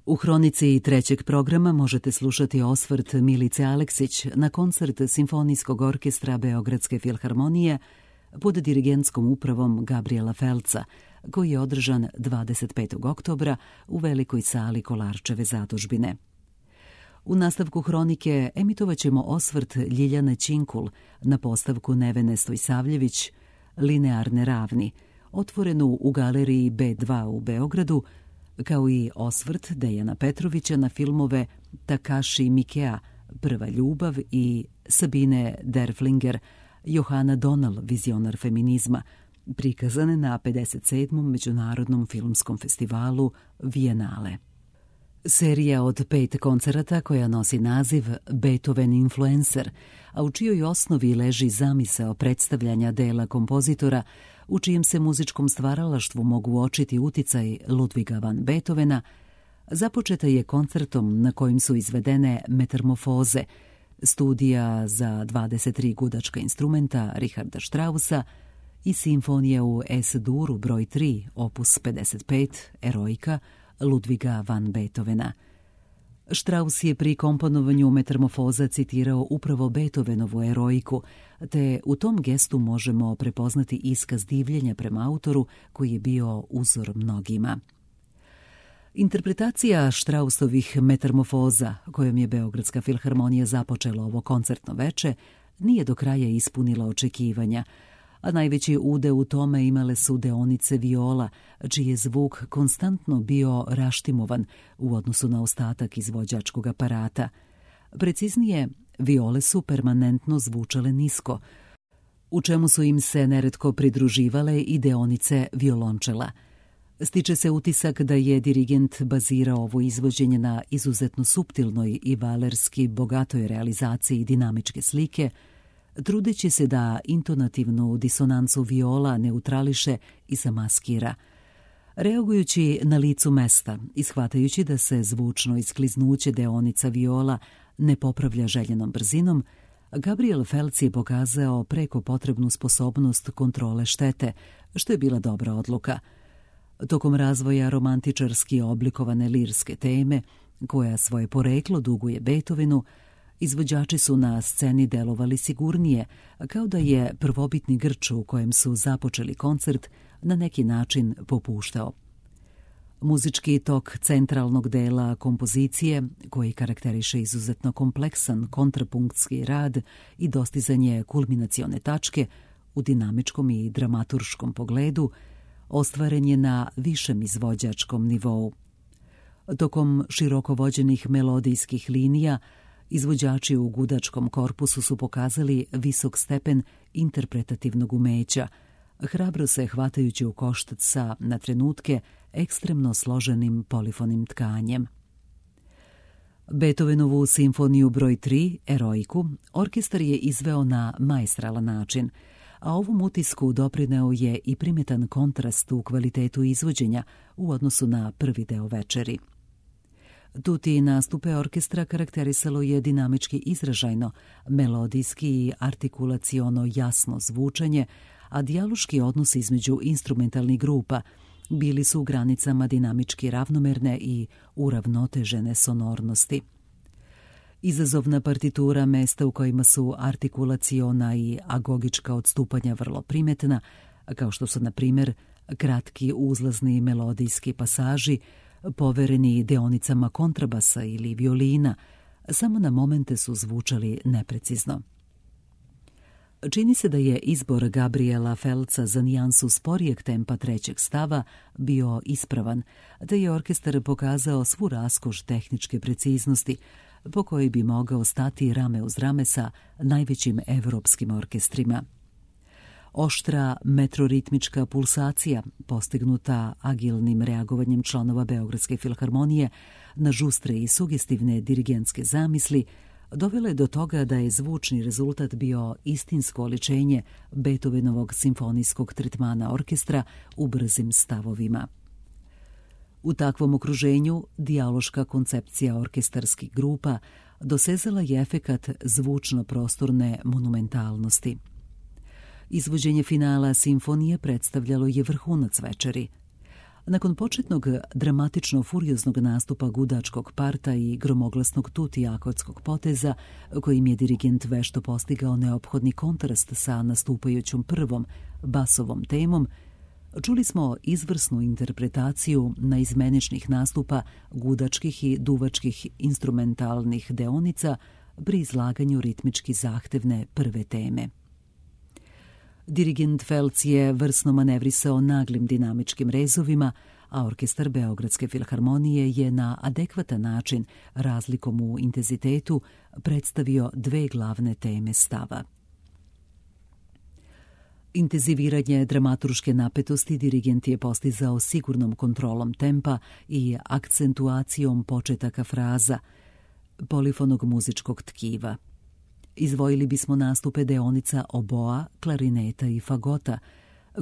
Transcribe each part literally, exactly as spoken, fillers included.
U hronici trećeg programa možete slušati osvrt Milice Aleksić na koncert Simfonijskog orkestra Beogradske filharmonije pod dirigentskom upravom Gabriela Felca, koji je održan dvadeset petog oktobra u velikoj sali Kolarčeve zadužbine. U nastavku hronike emitovat ćemo osvrt Ljiljane Činkul na postavku Nevene Stojsavljević Linearne ravni, otvorenu u galeriji B dva u Beogradu, kao i osvrt Dejana Petrovića na filmove Takashi Mikea Prva ljubav i Sabine Derflinger Johana Donal, vizionar feminizma, prikazane na pedeset sedmom Međunarodnom filmskom festivalu Vijenale. Serija od pet koncerata koja nosi naziv Beethoven Influencer, a u čijoj osnovi leži zamisao predstavljanja dela kompozitora u čijem se muzičkom stvaralaštvu mogu uočiti uticaj Ludviga van Beethovena, započeta je koncertom na kojim su izvedene Metamorfoze, studija za dvadeset tri gudačka instrumenta Richarda Straussa i simfonija u Es-duru broj tri, opus pedeset pet, Eroika, Ludviga van Beethovena. Strauss je pri komponovanju Metamorfoza citirao upravo Beethovenovu Eroiku, te u tom gestu možemo prepoznati iskaz divljenja prema autoru koji je bio uzor mnogima. Interpretacija Straussovih Metamorfoza, kojom je Beogradska filharmonija započela ovo koncertno veče, nije do kraja ispunila očekivanja, a najveći udeo u tome imale su deonice viola, čiji je zvuk konstantno bio raštimovan u odnosu na ostatak izvođačkog aparata. Preciznije, viole su permanentno zvučale nisko, u čemu su im se neretko pridruživale i deonice violončela. Stiče se utisak da je dirigent bazirao ovo izvođenje na izuzetno suptilnoj i valerski bogatoj realizaciji dinamičke slike, trudeći se da intonativnu disonancu viola neutrališe i zamaskira. Reagujući na licu mesta i shvatajući da se zvučno iskliznuće deonica viola ne popravlja željenom brzinom, Gabriel Felc je pokazao preko potrebnu sposobnost kontrole štete, što je bila dobra odluka. Tokom razvoja romantičarski oblikovane lirske teme, koja svoje poreklo duguje Beethovenu, izvođači su na sceni delovali sigurnije, kao da je prvobitni grč u kojem su započeli koncert na neki način popuštao. Muzički tok centralnog dela kompozicije, koji karakteriše izuzetno kompleksan kontrapunktski rad i dostizanje kulminacione tačke u dinamičkom i dramaturškom pogledu, ostvaren je na višem izvođačkom nivou. Tokom široko vođenih melodijskih linija, izvođači u gudačkom korpusu su pokazali visok stepen interpretativnog umeća, hrabro se hvatajući u koštac sa, na trenutke, ekstremno složenim polifonim tkanjem. Beethovenovu simfoniju broj tri, Eroiku, orkestar je izveo na maestralan način, a ovom utisku doprineo je i primetan kontrast u kvalitetu izvođenja u odnosu na prvi deo večeri. Tuti nastupe orkestra karakterisalo je dinamički izražajno, melodijski i artikulaciono jasno zvučanje, a dijaloški odnos između instrumentalnih grupa bili su u granicama dinamički ravnomerne i uravnotežene sonornosti. Izazovna partitura, mesta u kojima su artikulaciona i agogička odstupanja vrlo primetna, kao što su, na primjer, kratki uzlazni melodijski pasaži, povereni deonicama kontrabasa ili violina, samo na momente su zvučali neprecizno. Čini se da je izbor Gabriela Felca za nijansu sporijeg tempa trećeg stava bio ispravan, te je orkestar pokazao svu raskoš tehničke preciznosti, po kojoj bi mogao stati rame uz rame sa najvećim evropskim orkestrima. Oštra metroritmička pulsacija, postignuta agilnim reagovanjem članova Beogradske filharmonije na žustre i sugestivne dirigentske zamisli, dovela je do toga da je zvučni rezultat bio istinsko oličenje Beethovenovog simfonijskog tretmana orkestra u brzim stavovima. U takvom okruženju dijaloška koncepcija orkestarskih grupa dosezala je efekat zvučno-prostorne monumentalnosti. Izvođenje finala simfonije predstavljalo je vrhunac večeri. Nakon početnog dramatično-furioznog nastupa gudačkog parta i gromoglasnog tuti akordskog poteza, kojim je dirigent vešto postigao neophodni kontrast sa nastupajućom prvom basovom temom, čuli smo izvrsnu interpretaciju naizmeničnih nastupa gudačkih i duvačkih instrumentalnih deonica pri izlaganju ritmički zahtevne prve teme. Dirigent Felc je vrsno manevrisao naglim dinamičkim rezovima, a orkestar Beogradske filharmonije je na adekvatan način, razlikom u intenzitetu, predstavio dve glavne teme stava. Intenziviranje dramaturške napetosti dirigent je postizao sigurnom kontrolom tempa i akcentuacijom početaka fraza, polifonog muzičkog tkiva. Izdvojili bismo nastupe deonica oboa, klarineta i fagota,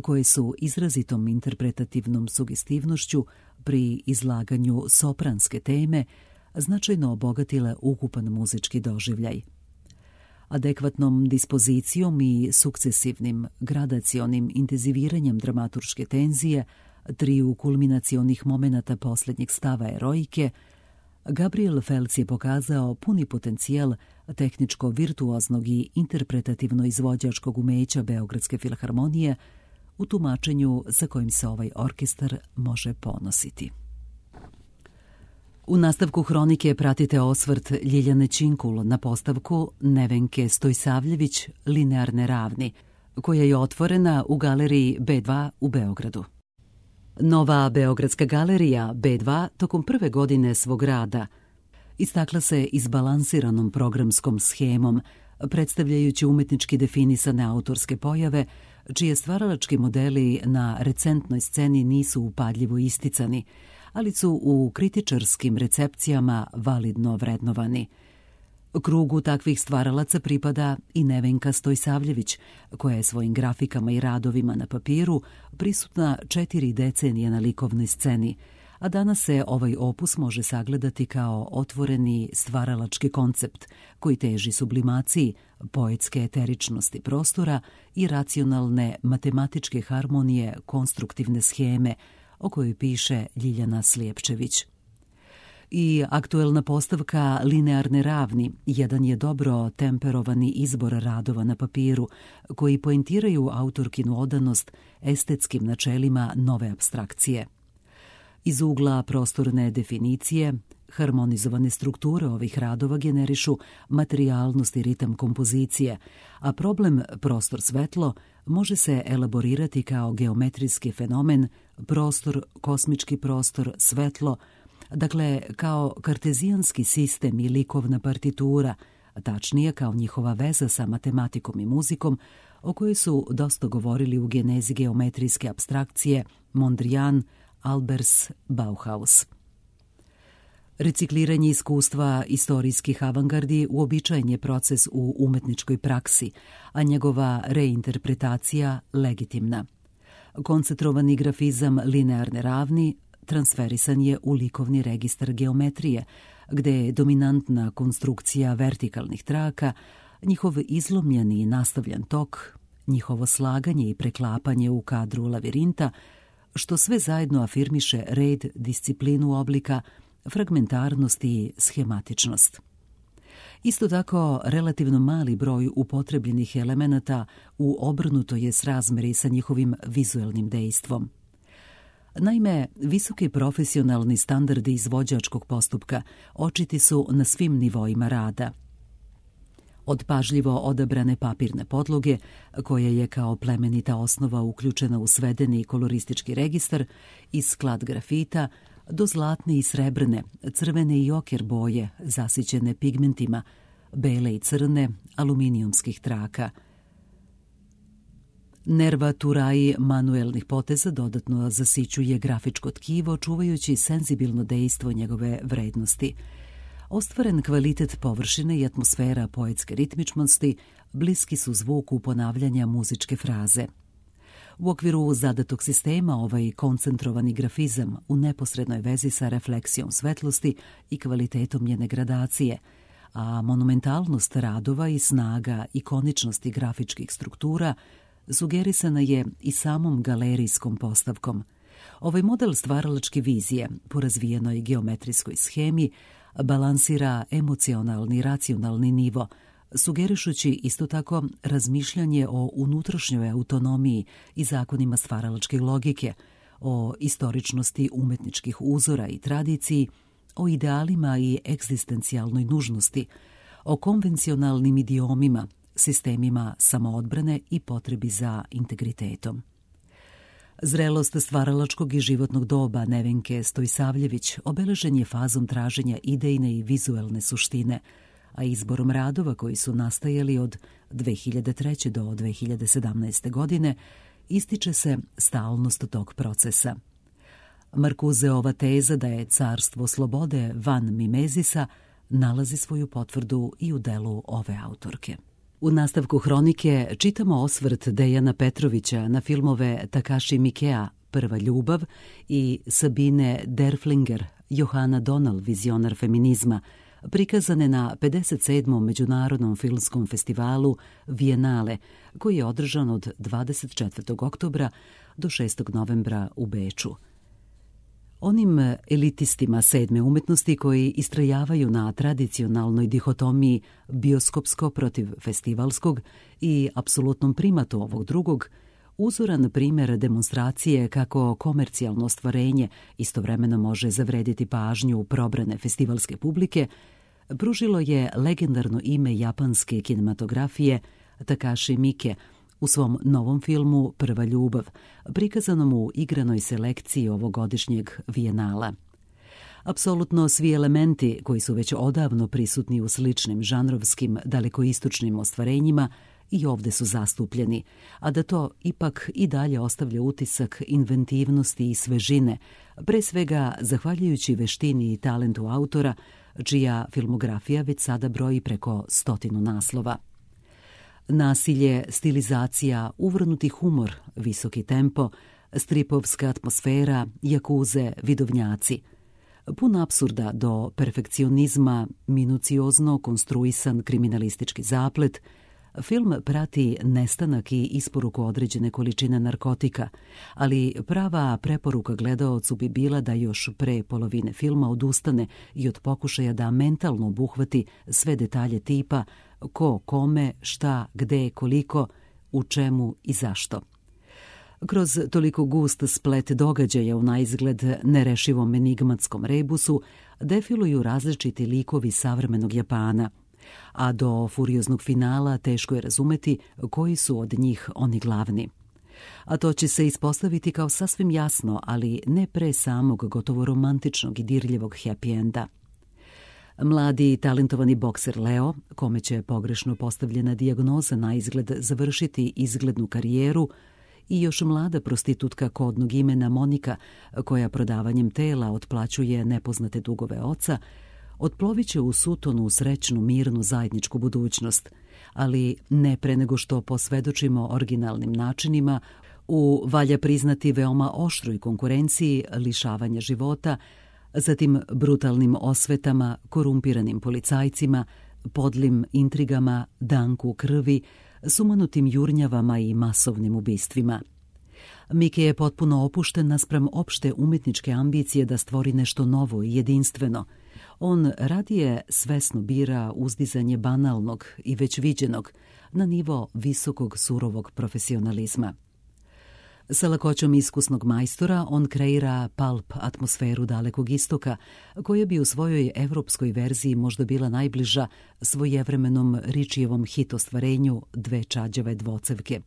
koje su izrazitom interpretativnom sugestivnošću pri izlaganju sopranske teme značajno obogatile ukupan muzički doživljaj. Adekvatnom dispozicijom i sukcesivnim gradacionim intenziviranjem dramaturške tenzije, triju kulminacionih momenata posljednjeg stava erojke, Gabriel Felc je pokazao puni potencijal tehničko-virtuoznog i interpretativno-izvođačkog umeća Beogradske filharmonije u tumačenju sa kojim se ovaj orkestar može ponositi. U nastavku hronike pratite osvrt Ljiljane Činkul na postavku Nevenke Stojsavljević Linearne ravni, koja je otvorena u galeriji B dva u Beogradu. Nova Beogradska galerija B dva tokom prve godine svog rada istakla se izbalansiranom programskom schemom, predstavljajući umetnički definisane autorske pojave, čije stvaralački modeli na recentnoj sceni nisu upadljivo isticani, ali su u kritičarskim recepcijama validno vrednovani. Krugu takvih stvaralaca pripada i Nevenka Stojsavljević, koja je svojim grafikama i radovima na papiru prisutna četiri decenije na likovnoj sceni, a danas se ovaj opus može sagledati kao otvoreni stvaralački koncept koji teži sublimaciji poetske eteričnosti prostora i racionalne matematičke harmonije konstruktivne scheme o kojoj piše Ljiljana Slijepčević. I aktuelna postavka Linearne ravni jedan je dobro temperovani izbor radova na papiru koji poentiraju autorkinu odanost estetskim načelima nove apstrakcije. Iz ugla prostorne definicije, harmonizovane strukture ovih radova generišu materijalnost i ritam kompozicije, a problem prostor-svetlo može se elaborirati kao geometrijski fenomen prostor, kosmički prostor, svetlo, dakle kao kartezijanski sistem i likovna partitura, tačnije kao njihova veza sa matematikom i muzikom, o kojoj su dosta govorili u genezi geometrijske apstrakcije Mondrian, Albers, Bauhaus. Recikliranje iskustva istorijskih avangardi uobičajen je proces u umetničkoj praksi, a njegova reinterpretacija legitimna. Koncentrovani grafizam Linearne ravni transferisan je u likovni registar geometrije, gde je dominantna konstrukcija vertikalnih traka, njihov izlomljeni i nastavljan tok, njihovo slaganje i preklapanje u kadru lavirinta, što sve zajedno afirmiše red, disciplinu oblika, fragmentarnost i schematičnost. Isto tako, relativno mali broj upotrebljenih elemenata u obrnuto je srazmeri sa njihovim vizuelnim dejstvom. Naime, visoki profesionalni standardi izvođačkog postupka očiti su na svim nivoima rada. Od pažljivo odabrane papirne podloge, koja je kao plemenita osnova uključena u svedeni koloristički registar, i sklad grafita, do zlatne i srebrne, crvene i oker boje, zasićene pigmentima, bele i crne, aluminijumskih traka. Nervaturaji manuelnih poteza dodatno zasićuje grafičko tkivo, čuvajući senzibilno dejstvo njegove vrednosti. Ostvaren kvalitet površine i atmosfera poetske ritmičnosti bliski su zvuku ponavljanja muzičke fraze. U okviru zadatog sistema ovaj koncentrovani grafizam u neposrednoj vezi sa refleksijom svetlosti i kvalitetom njene gradacije, a monumentalnost radova i snaga ikoničnosti grafičkih struktura sugerisana je i samom galerijskom postavkom. Ovaj model stvaralačke vizije po razvijenoj geometrijskoj schemi balansira emocionalni i racionalni nivo, sugerišući isto tako razmišljanje o unutrašnjoj autonomiji i zakonima stvaralačke logike, o istoričnosti umetničkih uzora i tradiciji, o idealima i egzistencijalnoj nužnosti, o konvencionalnim idiomima, sistemima samoodbrane i potrebi za integritetom. Zrelost stvaralačkog i životnog doba Nevenke Stojsavljević obeležen je fazom traženja idejne i vizuelne suštine, a izborom radova koji su nastajali od dve hiljade treće. do dve hiljade sedamnaeste. godine ističe se stalnost tog procesa. Markuzeova teza da je carstvo slobode van mimezisa nalazi svoju potvrdu i u delu ove autorke. U nastavku hronike čitamo osvrt Dejana Petrovića na filmove Takashi Miikea Prva ljubav i Sabine Derflinger Johana Donal vizionar feminizma, prikazane na pedeset sedmom Međunarodnom filmskom festivalu Vijenale, koji je održan od dvadeset četvrtog oktobra do šestog novembra u Beču. Onim elitistima sedme umetnosti koji istrajavaju na tradicionalnoj dihotomiji bioskopsko protiv festivalskog i apsolutnom primatu ovog drugog, uzoran primjer demonstracije kako komercijalno ostvarenje istovremeno može zavrediti pažnju probrane festivalske publike, pružilo je legendarno ime japanske kinematografije Takashi Miike u svom novom filmu Prva ljubav, prikazanom u igranoj selekciji ovogodišnjeg Vijenala. Apsolutno svi elementi koji su već odavno prisutni u sličnim žanrovskim dalekoistočnim ostvarenjima i ovde su zastupljeni, a da to ipak i dalje ostavlja utisak inventivnosti i svežine, pre svega zahvaljujući veštini i talentu autora, čija filmografija već sada broji preko stotinu naslova. Nasilje, stilizacija, uvrnuti humor, visoki tempo, stripovska atmosfera, jakuze, vidovnjaci. Pun apsurda do perfekcionizma, minuciozno konstruisan kriminalistički zaplet, film prati nestanak i isporuku određene količine narkotika, ali prava preporuka gledaocu bi bila da još pre polovine filma odustane i od pokušaja da mentalno obuhvati sve detalje tipa ko, kome, šta, gde, koliko, u čemu i zašto. Kroz toliko gust splet događaja u naizgled nerešivom enigmatskom rebusu defiluju različiti likovi savremenog Japana, a do furioznog finala teško je razumeti koji su od njih oni glavni. A to će se ispostaviti kao sasvim jasno, ali ne pre samog gotovo romantičnog i dirljivog happy enda. Mladi i talentovani bokser Leo, kome će pogrešno postavljena dijagnoza na izgled završiti izglednu karijeru, i još mlada prostitutka kodnog imena Monika, koja prodavanjem tela otplaćuje nepoznate dugove oca, otplovit će u sutonu srećnu, mirnu zajedničku budućnost, ali ne pre nego što posvedočimo originalnim načinima u, valja priznati, veoma oštroj konkurenciji lišavanja života, zatim brutalnim osvetama, korumpiranim policajcima, podlim intrigama, danku krvi, sumanutim jurnjavama i masovnim ubistvima. Miike je potpuno opušten naspram opšte umetničke ambicije da stvori nešto novo i jedinstveno. On radije svesno bira uzdizanje banalnog i već viđenog na nivo visokog surovog profesionalizma. Sa lakoćom iskusnog majstora on kreira pulp atmosferu Dalekog istoka, koja bi u svojoj evropskoj verziji možda bila najbliža svojevremenom Ričijevom hit ostvarenju Dve čađave dvocevke.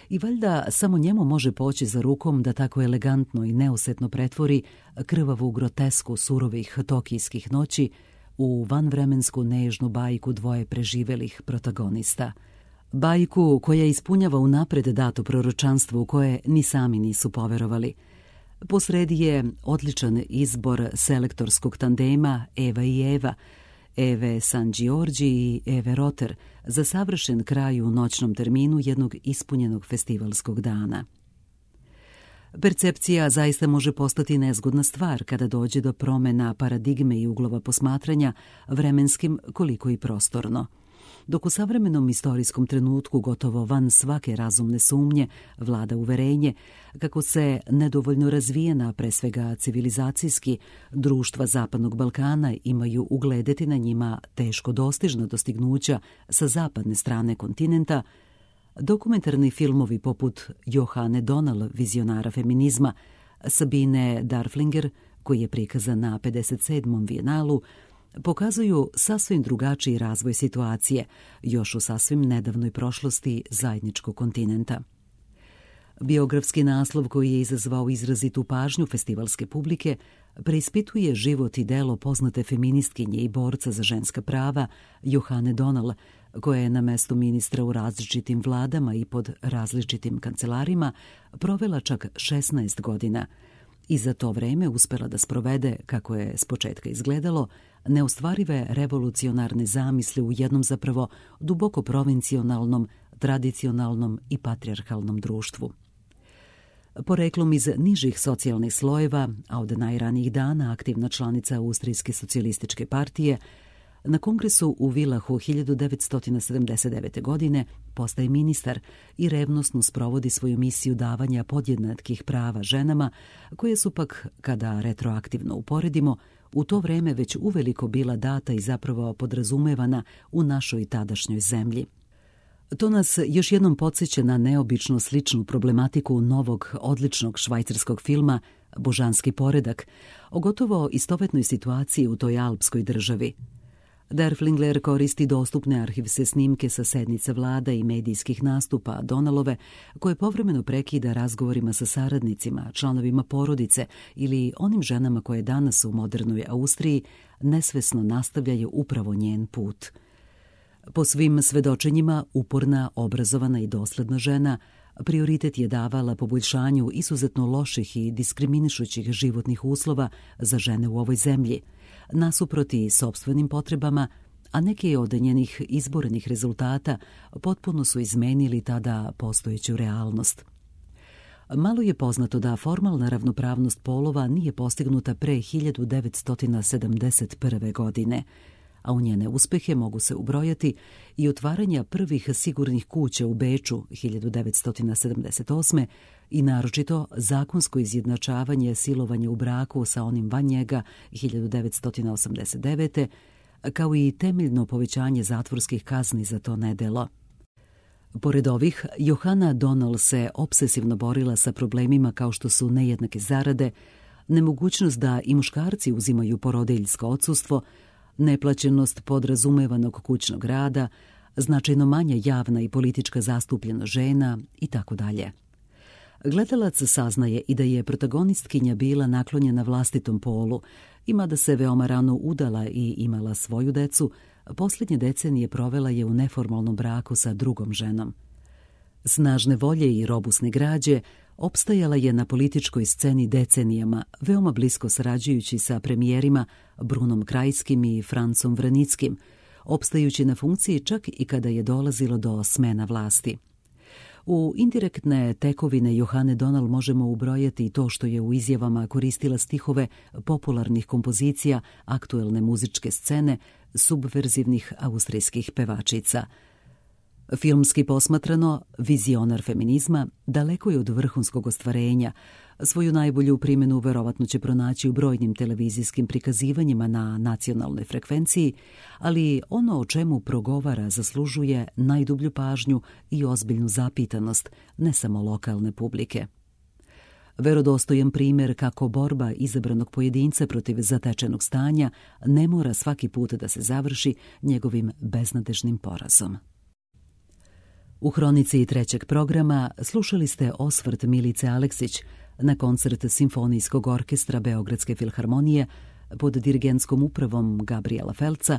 I valjda samo njemu može poći za rukom da tako elegantno i neosetno pretvori krvavu grotesku surovih tokijskih noći u vanvremensku nežnu bajku dvoje preživelih protagonista. Bajku koja ispunjava unapred dato proročanstvo u koje ni sami nisu poverovali. Posredi je odličan izbor selektorskog tandema Eva i Eva, Eve San Giorgi i Eve Roter, za savršen kraj u noćnom terminu jednog ispunjenog festivalskog dana. Percepcija zaista može postati nezgodna stvar kada dođe do promena paradigme i uglova posmatranja, vremenskim koliko i prostorno. dok u savremenom istorijskom trenutku gotovo van svake razumne sumnje vlada uverenje kako se nedovoljno razvijena, pre svega civilizacijski, društva Zapadnog Balkana imaju ugledeti na njima teško dostižna dostignuća sa zapadne strane kontinenta, dokumentarni filmovi poput Johane Donal, vizionara feminizma, Sabine Darflinger, koji je prikazan na pedeset sedmom Vijenalu, pokazuju sasvim drugačiji razvoj situacije, još u sasvim nedavnoj prošlosti zajedničkog kontinenta. Biografski naslov koji je izazvao izrazitu pažnju festivalske publike preispituje život i delo poznate feministkinje i borca za ženska prava Johane Donal, koja je na mestu ministra u različitim vladama i pod različitim kancelarima provela čak šesnaest godina i za to vreme uspela da sprovede, kako je s početka izgledalo, neostvarive revolucionarne zamisli u jednom zapravo duboko provincionalnom, tradicionalnom i patrijarhalnom društvu. Poreklom iz nižih socijalnih slojeva, a od najranijih dana aktivna članica Austrijske socijalističke partije, na kongresu u Vilahu hiljadu devetsto sedamdeset devete. godine postaje ministar i revnosno sprovodi svoju misiju davanja podjednakih prava ženama, koje su pak, kada retroaktivno uporedimo, u to vreme već uveliko bila data i zapravo podrazumevana u našoj tadašnjoj zemlji. To nas još jednom podsjeća na neobično sličnu problematiku novog, odličnog švajcarskog filma Božanski poredak, o gotovo istovetnoj situaciji u toj alpskoj državi. Derflinger koristi dostupne arhivske snimke sa sednica vlada i medijskih nastupa Donalove, koje povremeno prekida razgovorima sa saradnicima, članovima porodice ili onim ženama koje danas u modernoj Austriji nesvesno nastavljaju upravo njen put. Po svim svedočenjima, uporna, obrazovana i dosledna žena prioritet je davala poboljšanju izuzetno loših i diskriminišućih životnih uslova za žene u ovoj zemlji, nasuproti sopstvenim potrebama, a neki od njenih izbornih rezultata potpuno su izmenili tada postojeću realnost. Malo je poznato da formalna ravnopravnost polova nije postignuta pre hiljadu devetsto sedamdeset prve. godine, a u njene uspehe mogu se ubrojati i otvaranja prvih sigurnih kuća u Beču hiljadu devetsto sedamdeset osme. i naročito zakonsko izjednačavanje silovanja u braku sa onim van njega hiljadu devetsto osamdeset devete. kao i temeljno povećanje zatvorskih kazni za to nedelo. Pored ovih, Johana Donal se obsesivno borila sa problemima kao što su nejednake zarade, nemogućnost da i muškarci uzimaju porodiljsko odsustvo, neplaćenost podrazumevanog kućnog rada, značajno manja javna i politička zastupljenost žena i tako dalje. Gledalac saznaje i da je protagonistkinja bila naklonjena vlastitom polu, i mada se veoma rano udala i imala svoju decu, posljednje decenije provela je u neformalnom braku sa drugom ženom. Snažne volje i robusne građe opstajala je na političkoj sceni decenijama, veoma blisko sarađujući sa premijerima Brunom Krajskim i Francom Vranickim, opstajući na funkciji čak i kada je dolazilo do smena vlasti. U indirektne tekovine Johane Donal možemo ubrojati i to što je u izjavama koristila stihove popularnih kompozicija aktuelne muzičke scene subverzivnih austrijskih pevačica. Filmski posmatrano, vizionar feminizma daleko je od vrhunskog ostvarenja. Svoju najbolju primjenu verovatno će pronaći u brojnim televizijskim prikazivanjima na nacionalnoj frekvenciji, ali ono o čemu progovara zaslužuje najdublju pažnju i ozbiljnu zapitanost, ne samo lokalne publike. Verodostojan primjer kako borba izabranog pojedinca protiv zatečenog stanja ne mora svaki put da se završi njegovim beznadežnim porazom. U hronici trećeg programa slušali ste osvrt Milice Aleksić na koncert Simfonijskog orkestra Beogradske filharmonije pod dirigentskom upravom Gabriela Felca,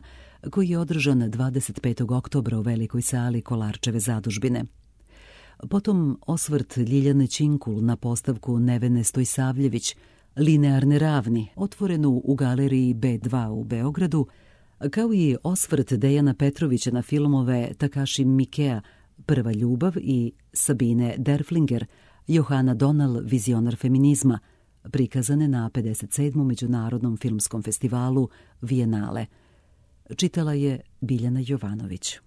koji je održan dvadeset petog oktobra u velikoj sali Kolarčeve zadužbine. Potom osvrt Ljiljane Činkul na postavku Nevene Stojsavljević, Linearne ravni, otvorenu u galeriji B dva u Beogradu, kao i osvrt Dejana Petrovića na filmove Takashi Miikea, Prva ljubav i Sabine Derflinger, Johana Donal, vizionar feminizma, prikazane na pedeset sedmom Međunarodnom filmskom festivalu Vijenale. Čitala je Biljana Jovanović.